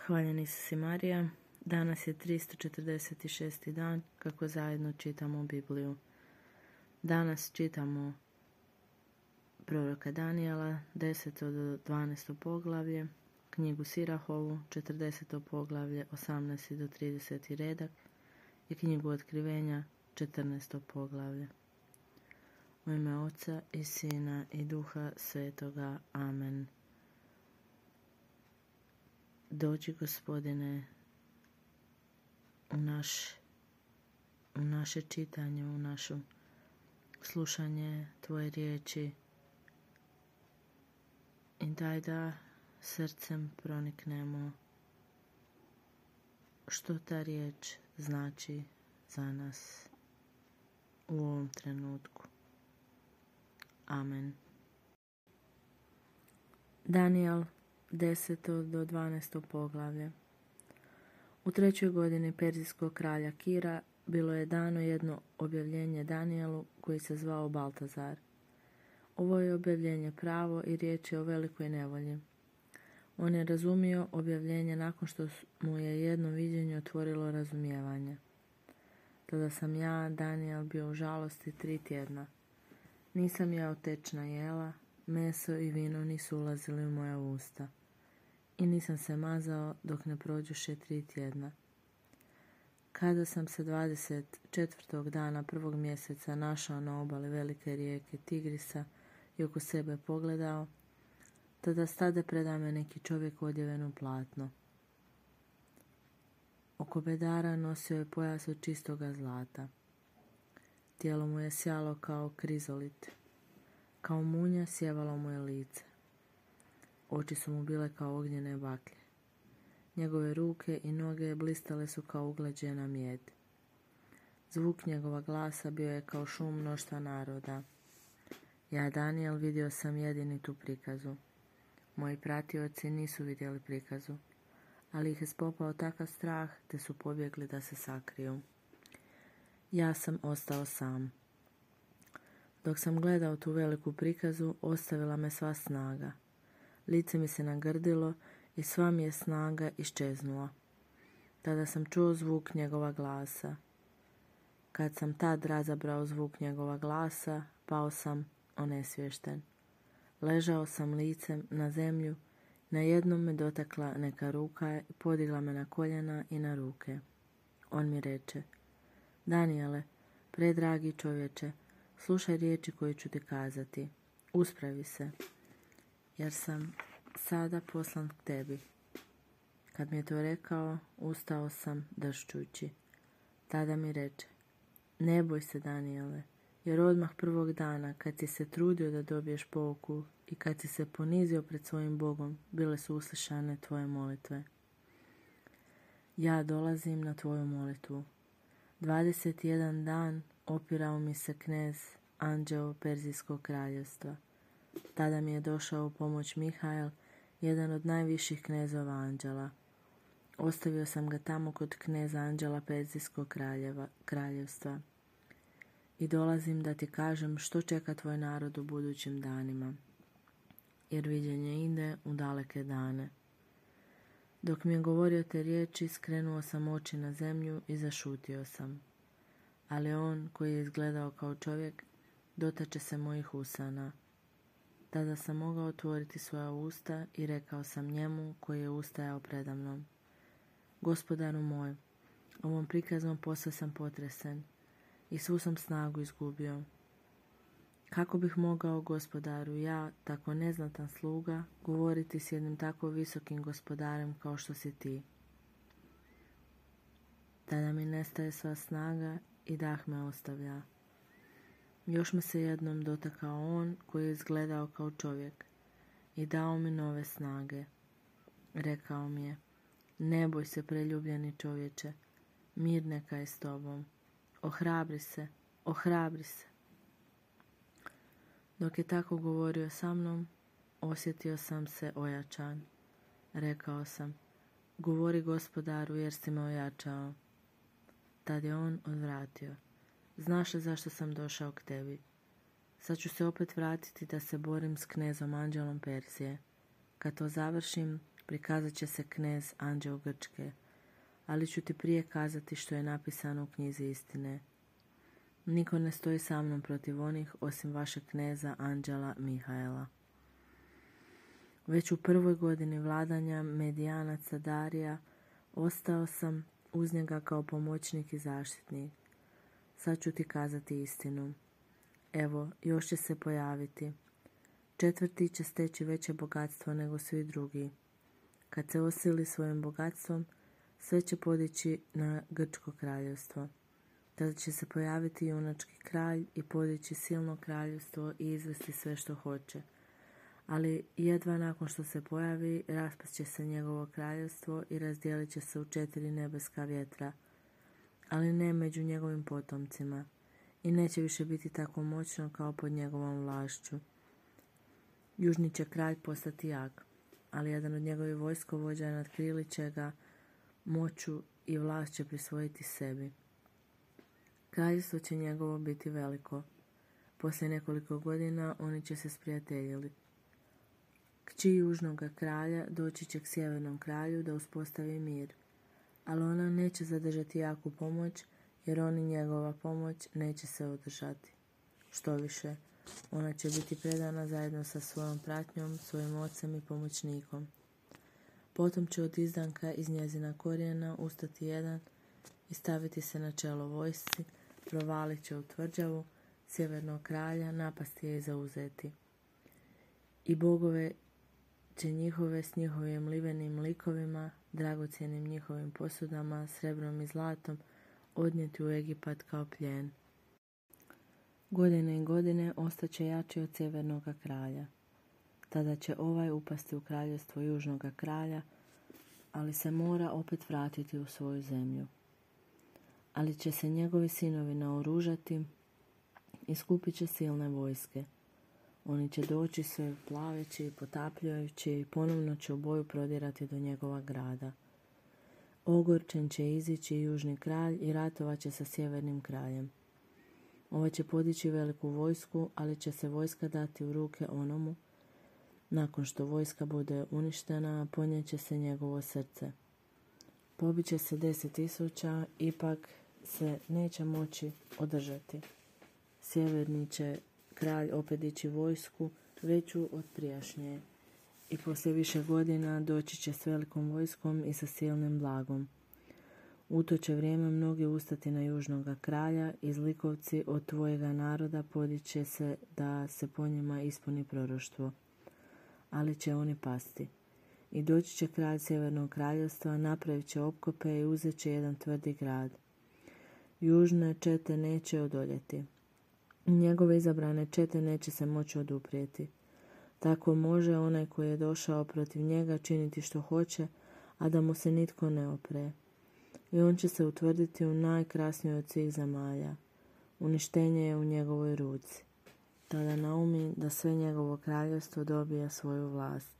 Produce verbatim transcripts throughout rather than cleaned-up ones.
Hvaljen Isus i Marija. Danas je tristo četrdeset šesti dan kako zajedno čitamo Bibliju. Danas čitamo proroka Danijela, deseto do dvanaesto poglavlje, knjigu Sirahovu, četrdeseto poglavlje, osamnaesti do trideseti redak i knjigu Otkrivenja, četrnaesto poglavlje. U ime Oca i Sina i Duha Svetoga. Amen. Dođi, Gospodine, u, naš, u naše čitanje, u naše slušanje Tvoje riječi i daj da srcem proniknemo što ta riječ znači za nas u ovom trenutku. Amen. Danijel, deseto do dvanaesto poglavlje. U trećoj godini perzijskog kralja Kira bilo je dano jedno objavljenje Danijelu koji se zvao Baltazar. Ovo je objavljenje pravo i riječ je o velikoj nevolji. On je razumio objavljenje nakon što mu je jedno viđenje otvorilo razumijevanje. Tada sam ja, Danijel, bio u žalosti tri tjedna. Nisam jeo tečna jela, meso i vino nisu ulazili u moja usta. I nisam se mazao dok ne prođoše tri tjedna. Kada sam se dvadeset četvrtog dana prvog mjeseca našao na obali velike rijeke Tigrisa i oko sebe pogledao, tada stade predame neki čovjek odjeven u platno. Oko bedara nosio je pojas od čistoga zlata. Tijelo mu je sjalo kao krizolit. Kao munja sjevalo mu je lice. Oči su mu bile kao ognjene baklje. Njegove ruke i noge blistale su kao uglađena mijed. Zvuk njegova glasa bio je kao šum mnoštva naroda. Ja, Danijel, vidio sam jedinitu prikazu. Moji pratioci nisu vidjeli prikazu, ali ih je spopao takav strah te su pobjegli da se sakriju. Ja sam ostao sam. Dok sam gledao tu veliku prikazu, ostavila me sva snaga. Lice mi se nagrdilo i sva mi je snaga iščeznula. Tada sam čuo zvuk njegova glasa. Kad sam tad razabrao zvuk njegova glasa, pao sam onesvješten. Ležao sam licem na zemlju, na jednom me dotakla neka ruka i podigla me na koljena i na ruke. On mi reče: Danijele, predragi čovječe, slušaj riječi koje ću ti kazati. Uspravi se, jer sam sada poslan k tebi. Kad mi je to rekao, ustao sam dršćući. Tada mi reče: ne boj se, Danijele, jer odmah prvog dana kad si se trudio da dobiješ pouku i kad si se ponizio pred svojim Bogom, bile su uslišane tvoje molitve. Ja dolazim na tvoju molitvu. Dvadeset jedan dan opirao mi se knez anđeo Perzijskog kraljevstva. Tada mi je došao u pomoć Mihael, jedan od najviših knezova anđela. Ostavio sam ga tamo kod kneza anđela Perzijskog kraljeva, kraljevstva. I dolazim da ti kažem što čeka tvoj narod u budućim danima, jer viđenje ide u daleke dane. Dok mi je govorio te riječi, skrenuo sam oči na zemlju i zašutio sam. Ali on, koji je izgledao kao čovjek, dotače se mojih usana. Tada sam mogao otvoriti svoja usta i rekao sam njemu koji je ustajao predamnom: Gospodaru moj, ovom prikazom posve sam potresen i svu sam snagu izgubio. Kako bih mogao, Gospodaru, ja, tako neznatan sluga, govoriti s jednim tako visokim gospodarem kao što si ti? Tada mi nestaje sva snaga i dah me ostavlja. Još me se jednom dotakao on koji je izgledao kao čovjek i dao mi nove snage. Rekao mi je: ne boj se, preljubljeni čovječe, mir neka je s tobom. Ohrabri se, ohrabri se. Dok je tako govorio sa mnom, osjetio sam se ojačan. Rekao sam: govori, Gospodaru, jer si me ojačao. Tad je on odvratio: znaš li zašto sam došao k tebi? Sad ću se opet vratiti da se borim s knezom anđelom Perzije. Kad to završim, prikazat će se knez anđeo Grčke, ali ću ti prije kazati što je napisano u knjizi istine. Niko ne stoji sa mnom protiv onih osim vašeg kneza anđela Mihaela. Već u prvoj godini vladanja Medijanaca Darija ostao sam uz njega kao pomoćnik i zaštitnik. Sad ću ti kazati istinu. Evo, još će se pojaviti. Četvrti će steći veće bogatstvo nego svi drugi. Kad se osili svojim bogatstvom, sve će podići na Grčko kraljevstvo. Tada će se pojaviti junački kralj i podići silno kraljevstvo i izvesti sve što hoće. Ali jedva nakon što se pojavi, raspast će se njegovo kraljevstvo i razdijelit će se u četiri nebeska vjetra, ali ne među njegovim potomcima, i neće više biti tako moćno kao pod njegovom vlašću. Južni će kralj postati jak, ali jedan od njegovih vojskovođa natkrilit će ga moću i vlast će prisvojiti sebi. Kraljevstvo će njegovo biti veliko. Poslije nekoliko godina oni će se sprijateljili. Kći južnoga kralja doći će k sjevernom kralju da uspostavi mir, ali ona neće zadržati jaku pomoć, jer oni njegova pomoć neće se održati. Što više, ona će biti predana zajedno sa svojom pratnjom, svojim ocem i pomoćnikom. Potom će od izdanka iz njezina korijena ustati jedan i staviti se na čelo vojsci, provalit će u tvrđavu sjevernog kralja, napasti je i zauzeti. I bogove će njihove s njihovim livenim likovima, dragocjenim njihovim posudama, srebrom i zlatom, odnijeti u Egipat kao plijen. Godine i godine ostaće jači od sjevernoga kralja. Tada će ovaj upasti u kraljevstvo južnoga kralja, ali se mora opet vratiti u svoju zemlju. Ali će se njegovi sinovi naoružati i skupit će silne vojske. Oni će doći sve plaveći i potapljajući i ponovno će u boju prodirati do njegova grada. Ogorčen će izići južni kralj i ratovat će sa sjevernim kraljem. Ovaj će podići veliku vojsku, ali će se vojska dati u ruke onomu. Nakon što vojska bude uništena, ponjeće se njegovo srce. Pobiće se deset tisuća, ipak se neće moći održati. Sjeverni će kralj opet dići vojsku veću od prijašnje i poslije više godina doći će s velikom vojskom i sa silnim blagom. U to će vrijeme mnogi ustati na južnoga kralja i zlikovci od tvojega naroda podiće se da se po njima ispuni proroštvo, ali će oni pasti. I doći će kralj sjevernog kraljevstva, napravit će opkope i uzet će jedan tvrdi grad. Južne čete neće odoljeti. Njegove izabrane čete neće se moći oduprijeti. Tako može onaj koji je došao protiv njega činiti što hoće, a da mu se nitko ne opre. I on će se utvrditi u najkrasnijoj od svih zemalja. Uništenje je u njegovoj ruci. Tada naumi da sve njegovo kraljevstvo dobija svoju vlast.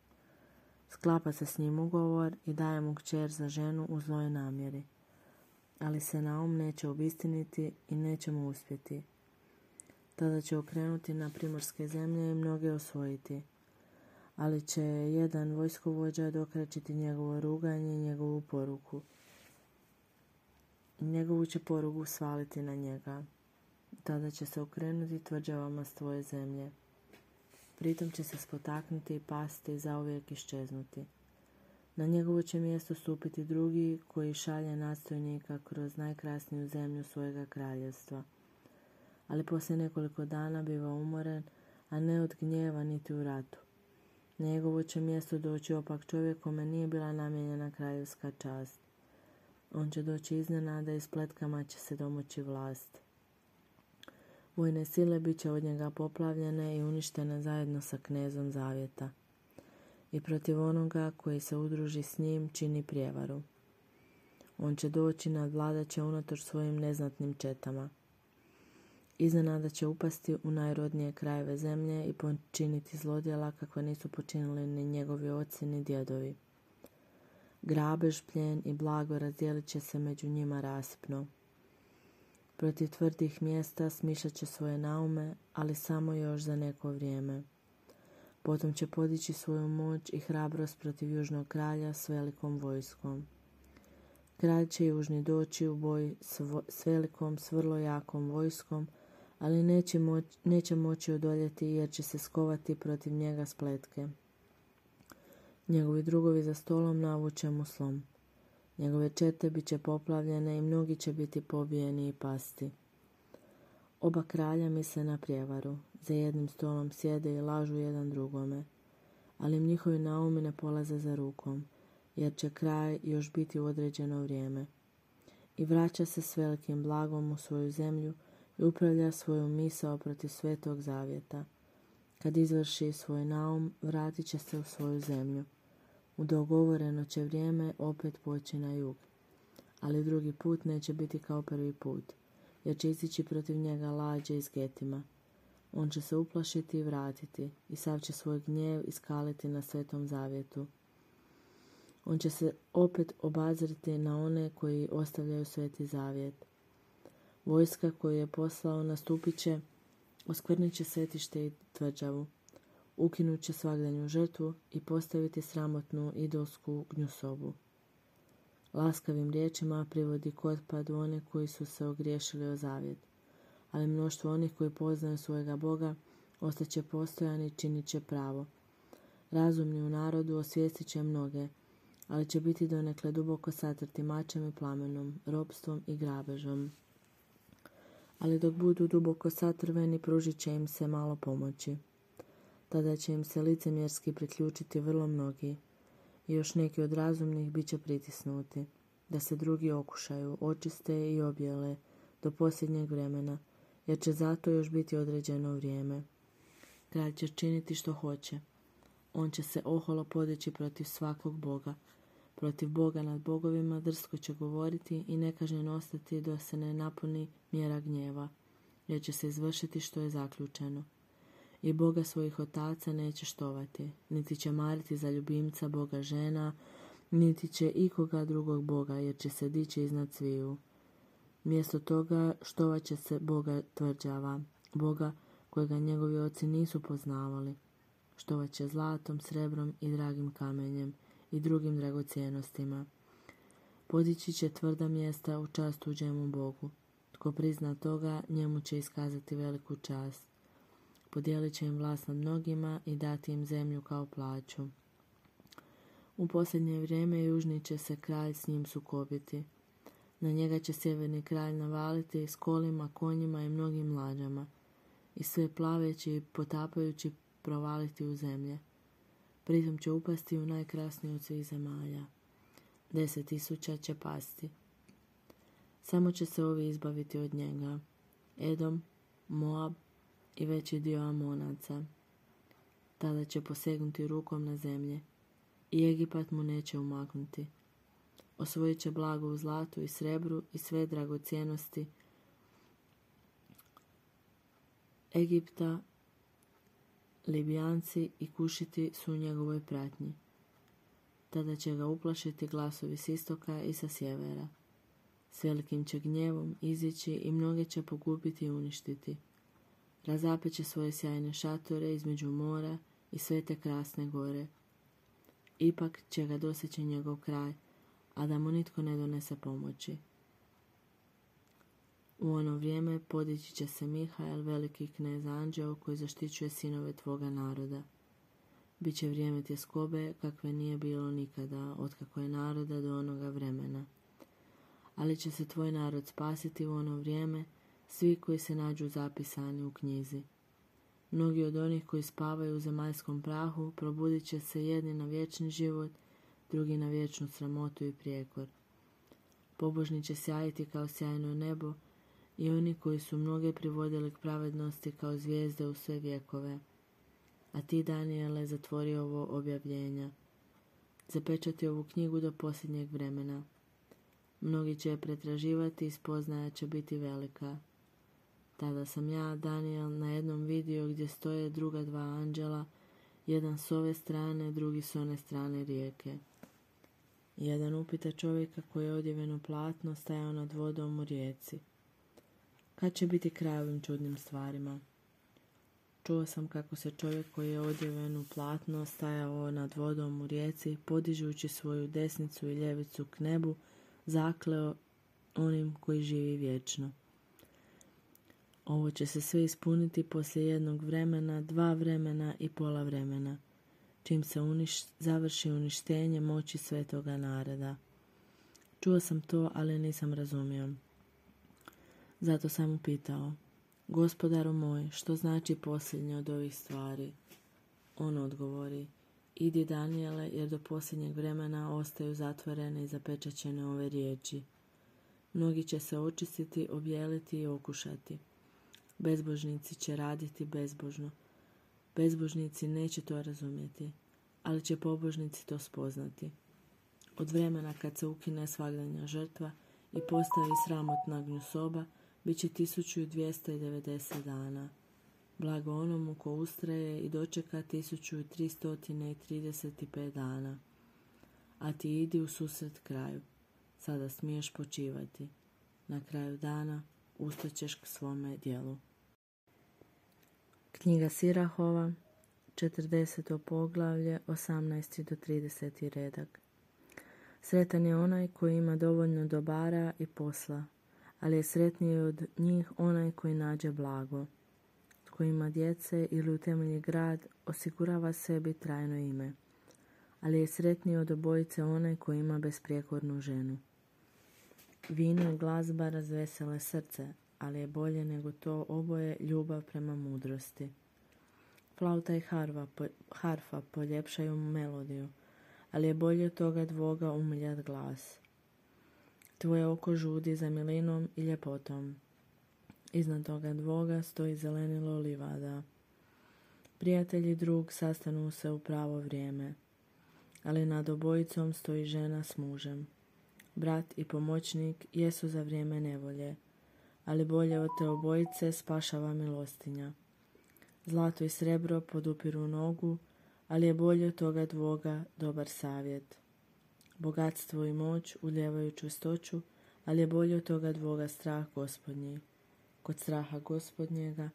Sklapa se s njim ugovor i daje mu kćer za ženu u zloj namjeri. Ali se Naum neće obistiniti i neće mu uspjeti. Tada će okrenuti na primorske zemlje i mnoge osvojiti. Ali će jedan vojskovođa dokračiti njegovo ruganje i njegovu poruku. Njegovu će porugu svaliti na njega. Tada će se okrenuti tvrđavama s tvoje zemlje. Pritom će se spotaknuti i pasti i zauvijek iščeznuti. Na njegovo će mjesto stupiti drugi koji šalje nadstojnika kroz najkrasniju zemlju svojega kraljevstva. Ali poslije nekoliko dana biva umoren, a ne od gnjeva niti u ratu. Na njegovo će mjesto doći opak čovjek kome nije bila namijenjena kraljevska čast. On će doći iznenada i spletkama će se domoći vlast. Vojne sile bit će od njega poplavljene i uništene zajedno sa knezom zavjeta. I protiv onoga koji se udruži s njim čini prijevaru. On će doći, nadvladat će unatoč svojim neznatnim četama. Iznenada će upasti u najrodnije krajeve zemlje i počiniti zlodjela kakve nisu počinili ni njegovi oci ni djedovi. Grabež, plijen i blago razdijelit će se među njima rasipno. Protiv tvrdih mjesta smišljat će svoje naume, ali samo još za neko vrijeme. Potom će podići svoju moć i hrabrost protiv južnog kralja s velikom vojskom. Kralj će južni doći u boj s, vo- s velikom, s vrlo jakom vojskom, ali neće, moć, neće moći odoljeti jer će se skovati protiv njega spletke. Njegovi drugovi za stolom navuče mu slom. Njegove čete bit će poplavljene i mnogi će biti pobijeni i pasti. Oba kralja misle na prijevaru, za jednim stolom sjede i lažu jedan drugome, ali im njihovi naumi ne polaze za rukom, jer će kraj još biti u određeno vrijeme. I vraća se s velikim blagom u svoju zemlju i upravlja svoju misao protiv Svetog Zavjeta. Kad izvrši svoj naum, vratit će se u svoju zemlju. U dogovoreno će vrijeme opet poći na jug, ali drugi put neće biti kao prvi put, jer će izići protiv njega lađe iz Getima. On će se uplašiti i vratiti i sav će svoj gnjev iskaliti na Svetom Zavjetu. On će se opet obazriti na one koji ostavljaju Sveti Zavjet. Vojska koju je poslao nastupit će, oskvrnit će svetište i tvrđavu, ukinut će svagdanju žrtvu i postaviti sramotnu idolsku gnjusobu. Laskavim riječima privodi k otpadu one koji su se ogriješili o zavjet, ali mnoštvo onih koji poznaju svojega Boga ostaće postojani i činit će pravo. Razumni u narodu osvijestit će mnoge, ali će biti donekle duboko satrti mačem i plamenom, ropstvom i grabežom. Ali dok budu duboko satrveni, pružit će im se malo pomoći. Tada će im se licemjerski priključiti vrlo mnogi i još neki od razumnih bit će pritisnuti, da se drugi okušaju, očiste i objele do posljednjeg vremena, jer će zato još biti određeno vrijeme. Kralj će činiti što hoće. On će se oholo podići protiv svakog boga. Protiv Boga nad bogovima drsko će govoriti i nekažnjen ostati dok se ne napuni mjera gnjeva, jer će se izvršiti što je zaključeno. I Boga svojih otaca neće štovati, niti će mariti za ljubimca Boga žena, niti će ikoga drugog Boga, jer će se dići iznad sviju. Mjesto toga štovat će se Boga tvrđava, Boga kojega njegovi oci nisu poznavali. Štovat će zlatom, srebrom i dragim kamenjem i drugim dragocjenostima. Podići će tvrda mjesta u čast tuđemu Bogu. Tko prizna toga, njemu će iskazati veliku čast. Podijelit će im vlast nad mnogima i dati im zemlju kao plaću. U posljednje vrijeme južni će se kralj s njim sukobiti. Na njega će sjeverni kralj navaliti s kolima, konjima i mnogim lađama i sve plaveći i potapajući provaliti u zemlje. Pritom će upasti u najkrasniju od svih zemalja. Deset tisuća će pasti. Samo će se ovi izbaviti od njega. Edom, Moab i veći dio Amonaca. Tada će posegnuti rukom na zemlje i Egipat mu neće umaknuti. Osvojit će blago u zlatu i srebru i sve dragocjenosti Egipta. Libijanci i Kušiti su u njegovoj pratnji. Tada će ga uplašiti glasovi s istoka i sa sjevera. S velikim će gnjevom izići i mnoge će pogubiti i uništiti. Razapeće svoje sjajne šatore između mora i sve te krasne gore. Ipak će ga doseći njegov kraj, a da mu nitko ne donese pomoći. U ono vrijeme podići će se Mihael, veliki knez anđeo koji zaštićuje sinove tvoga naroda. Biće vrijeme tjeskobe kakve nije bilo nikada, otkako je naroda do onoga vremena. Ali će se tvoj narod spasiti u ono vrijeme, svi koji se nađu zapisani u knjizi. Mnogi od onih koji spavaju u zemaljskom prahu probudit će se jedni na vječni život, drugi na vječnu sramotu i prijekor. Pobožni će sjajiti kao sjajno nebo i oni koji su mnoge privodili k pravednosti kao zvijezde u sve vjekove. A ti, Danijele, zatvori ovo objavljenja. Zapečati ovu knjigu do posljednjeg vremena. Mnogi će je pretraživati i spoznaja će biti velika. Tada sam ja, Danijel, na jednom vidio gdje stoje druga dva anđela, jedan s ove strane, drugi s one strane rijeke. Jedan upita čovjeka koji je odjeveno platno stajao nad vodom u rijeci. Kad će biti kraj ovim čudnim stvarima? čuo sam kako se čovjek koji je odjeven u platno stajao nad vodom u rijeci, podižući svoju desnicu i ljevicu k nebu, zakleo onim koji živi vječno. Ovo će se sve ispuniti poslije jednog vremena, dva vremena i pola vremena, čim se uniš, završi uništenje moći svetoga naroda. Čuo sam to, ali nisam razumio. Zato sam upitao: Gospodaru moj, što znači posljednje od ovih stvari? On odgovori: Idi, Danijele, jer do posljednjeg vremena ostaju zatvorene i zapečaćene ove riječi. Mnogi će se očistiti, objeliti i okušati. Bezbožnici će raditi bezbožno. Bezbožnici neće to razumjeti, ali će pobožnici to spoznati. Od vremena kad se ukine svagdanja žrtva i postavi sramotna gnjusoba, bit će tisuću dvjesto devedeset dana. Blago onomu ko ustraje i dočeka tisuću tristo trideset pet dana. A ti idi u susret kraju. Sada smiješ počivati. Na kraju dana ustaćeš k svome djelu. Knjiga Sirahova, četrdeseto poglavlje, osamnaesti do trideseti redak. Sretan je onaj koji ima dovoljno dobara i posla, ali je sretniji od njih onaj koji nađe blago. Tko ima djece ili utemelji grad, osigurava sebi trajno ime, ali je sretniji od obojice onaj koji ima besprijekornu ženu. Vino i glazba razvesele srce, ali je bolje nego to oboje ljubav prema mudrosti. Flauta i harfa, po, harfa poljepšaju melodiju, ali je bolje od toga dvoga umiljat glas. Tvoje oko žudi za milinom i ljepotom. Iznad toga dvoga stoji zelenilo livada. Prijatelj i drug sastanu se u pravo vrijeme, ali nad obojicom stoji žena s mužem. Brat i pomoćnik jesu za vrijeme nevolje, ali bolje od te obojice spašava milostinja. Zlato i srebro podupiru nogu, ali je bolje od toga dvoga dobar savjet. Bogatstvo i moć ulijevaju čvrstoću, ali je bolje od toga dvoga strah Gospodnji. Kod straha Gospodnjega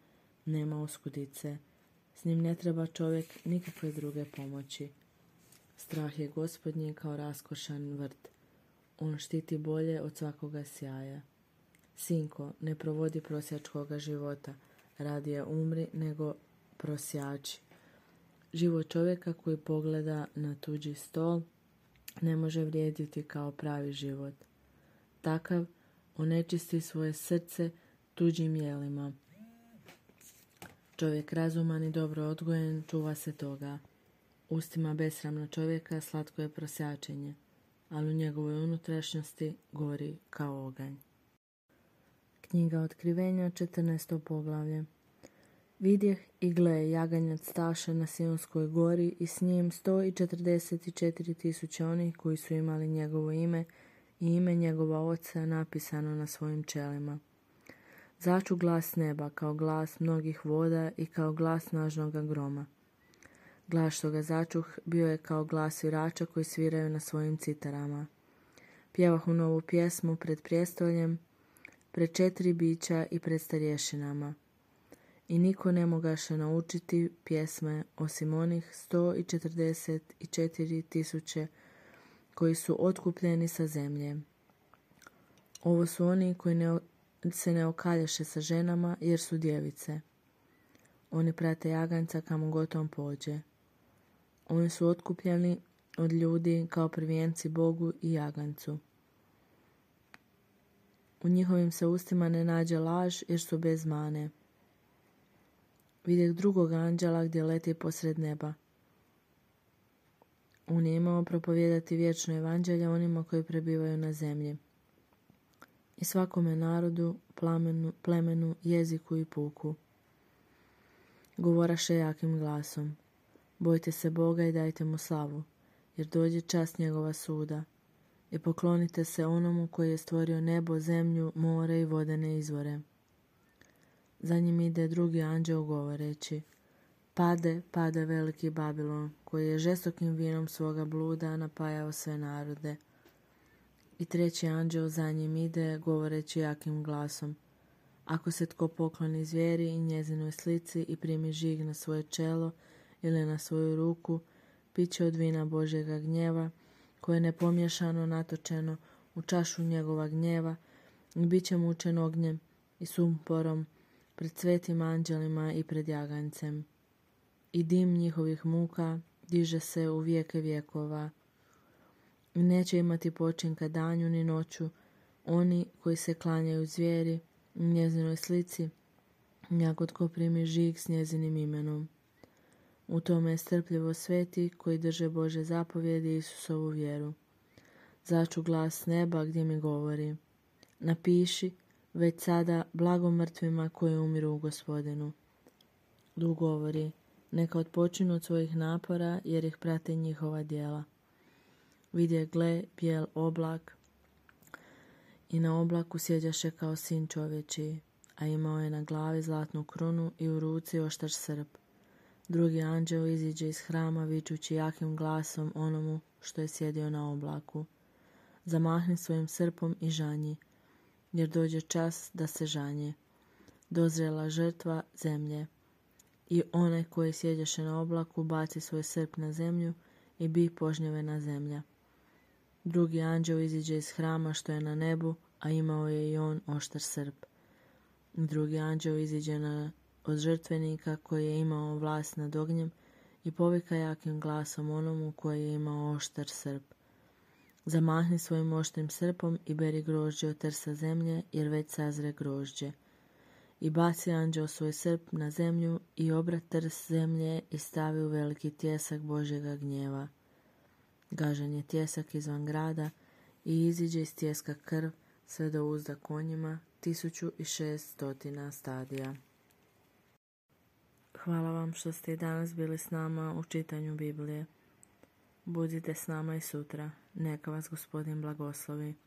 nema oskudice, s njim ne treba čovjek nikakve druge pomoći. Strah je Gospodnji kao raskošan vrt, on štiti bolje od svakoga sjaja. Sinko, ne provodi prosjačkoga života, radije umri nego prosjači. Život čovjeka koji pogleda na tuđi stol ne može vrijediti kao pravi život. Takav onečisti svoje srce tuđim jelima. Čovjek razuman i dobro odgojen čuva se toga. Ustima besramna čovjeka slatko je prosjačenje, ali u njegovoj unutrašnjosti gori kao oganj. Knjiga Otkrivenja, četrnaesto poglavlje. Vidjeh i gle, jaganjac staše na Sionskoj gori i s njim sto četrdeset četiri tisuće onih koji su imali njegovo ime i ime njegova oca napisano na svojim čelima. Začu glas neba kao glas mnogih voda i kao glas snažnoga groma. Glas što ga začuh bio je kao glas svirača koji sviraju na svojim citarama. Pjevahu novu pjesmu pred prijestoljem, pred četiri bića i pred starješinama. I niko ne mogaše naučiti pjesme osim onih sto četrdeset četiri tisuće koji su otkupljeni sa zemlje. Ovo su oni koji ne, se ne okaljaše sa ženama jer su djevice. Oni prate jaganjca kamo god on pođe. Oni su otkupljeni od ljudi kao prvijenci Bogu i jaganjcu. U njihovim se ustima ne nađe laž jer su bez mane. Vidjeh drugog anđela gdje leti posred neba. On je imao propovijedati vječno evanđelje onima koji prebivaju na zemlji. I svakome narodu, plamenu, plemenu, jeziku i puku. Govoraše jakim glasom. Bojte se Boga i dajte mu slavu, jer dođe čas njegova suda. I poklonite se onomu koji je stvorio nebo, zemlju, more i vodene izvore. Za njim ide drugi anđeo govoreći: Pade, pade veliki Babilon, koji je žestokim vinom svoga bluda napajao sve narode. I treći anđeo za njim ide govoreći jakim glasom: Ako se tko pokloni zvijeri i njezinoj slici i primi žig na svoje čelo ili na svoju ruku, pit će od vina Božjega gnjeva, koje je nepomiješano natočeno u čašu njegova gnjeva, i bit će mučen ognjem i sumporom pred svetim anđelima i pred jagancem. I dim njihovih muka diže se u vijeke vjekova. I neće imati počinka danju ni noću oni koji se klanjaju zvijeri i njezinoj slici, jako tko primi žig s njezinim imenom. U tome je strpljivo sveti koji drže Bože zapovjedi i Isusovu vjeru. Začu glas s neba gdje mi govori: napiši već sada blago mrtvima koji umiru u Gospodinu. Duh govori: neka odpočinu od svojih napora jer ih prate njihova djela. Vidje, gle, bijel oblak, i na oblaku sjeđaše kao sin čovječiji, a imao je na glavi zlatnu krunu i u ruci oštar srp. Drugi anđeo iziđe iz hrama vičući jakim glasom onomu što je sjedio na oblaku: zamahni svojim srpom i žanji, jer dođe čas da se žanje. Dozrela žrtva zemlje. I onaj koji sjeđaše na oblaku baci svoj srp na zemlju i bi požnjevena zemlja. Drugi anđeo iziđe iz hrama što je na nebu, a imao je i on oštar srp. Drugi anđeo iziđe na, od žrtvenika koji je imao vlast nad ognjem i povika jakim glasom onomu koji je imao oštar srp: zamahni svojim oštrim srpom i beri grožđe od trsa zemlje, jer već sazre grožđe. I baci anđeo svoj srp na zemlju i obra trs zemlje i stavi u veliki tjesak Božjega gnjeva. Gažen je tjesak izvan grada i iziđe iz tjeska krv sve do uzda konjima, tisuću i šest stotina stadija. Hvala vam što ste i danas bili s nama u čitanju Biblije. Budite s nama i sutra. Neka vas Gospodin blagoslovi.